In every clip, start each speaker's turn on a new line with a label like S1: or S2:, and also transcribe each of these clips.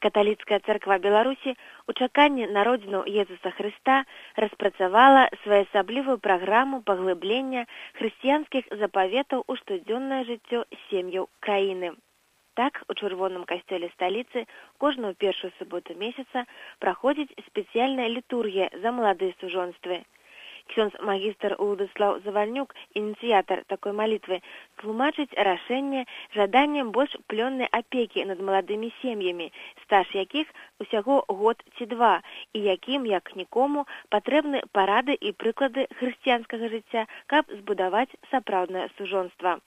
S1: Каталіцкая царква Беларусі ў чаканні народзіну Езуса Хрыста распрацавала своеасаблівую праграму паглыблення хрысціянскіх запаветаў у штодзённае жыццё сем'яў краіны. Так, у чырвоным касцёле сталіцы кожную першую суботу месяца праходзіць спецыяльная літургія за маладыя сужонствы. Ксёндз-магістр Уладыслаў Завальнюк, ініцыятар такой малітвы, тлумачыць рашэнне жаданнем больш плённай апекі над маладымі сем'ямі, стаж якіх усяго год ці два, і якім, як нікому, патрэбны парады і прыклады хрысціянскага жыцця, каб збудаваць сапраўднае сужонства.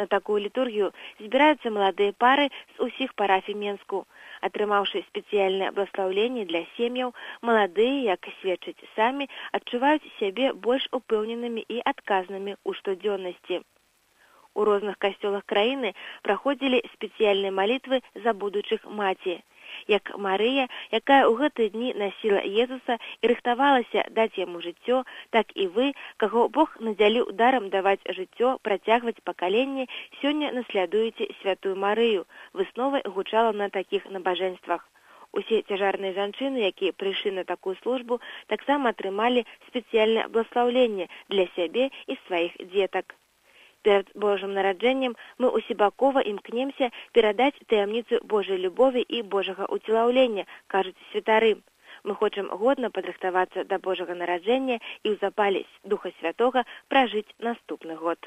S1: На такую літургію збіраюцца маладыя пары з усіх парафій Менску. Атрымаўшы спецыяльнае благаслаўленне для сем'яў, маладыя, як сведчаць самі, адчуваюць сябе больш упэўненымі і адказнымі ў штодзённасці. У розных касцёлах краіны праходзілі спецыяльныя малітвы за будучых маці. Як Марыя, якая ў гэтыя дні насіла Езуса і рыхтавалася даць яму жыццё, так і вы, каго Бог надзяліў дарам даваць жыццё, працягваць пакаленне, сёння наслядуеце святую Марыю. Высновай гучала на такіх набажэнствах. Усе цяжарныя жанчыны, якія прыйшлі на такую службу, таксама атрымалі спецыяльнае благаслаўленне для сябе і сваіх дзетак. Перад Божым нараджэннем мы усебакова імкнемся перадаць таямніцу Божай любові і Божага уцелаўлення, кажуць святары. Мы хочам годна падрыхтавацца да Божага нараджэння і ў запале Духа Святога пражыць наступны год.